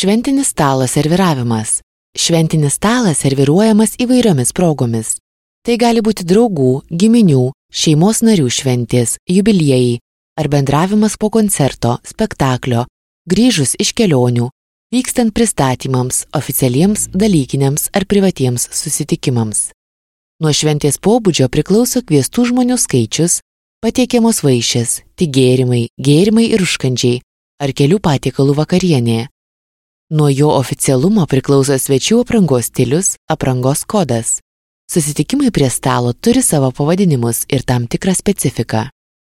Šventinis stalo serviravimas. Šventinis stalas serviruojamas įvairiomis progomis. Tai gali būti draugų, giminių, šeimos narių šventės, jubiliejai ar bendravimas po koncerto, spektaklio, grįžus iš kelionių, vykstant pristatymams, oficialiems, dalykiniams ar privatiems susitikimams. Nuo šventės pobūdžio priklauso kviestų žmonių skaičius, patiekiamos vaišės, tik gėrimai ir užkandžiai ar kelių patiekalų vakarienė. Nuo jo oficialumo priklauso svečių aprangos stilius, aprangos kodas. Susitikimai prie stalo turi savo pavadinimus ir tam tikrą specifiką.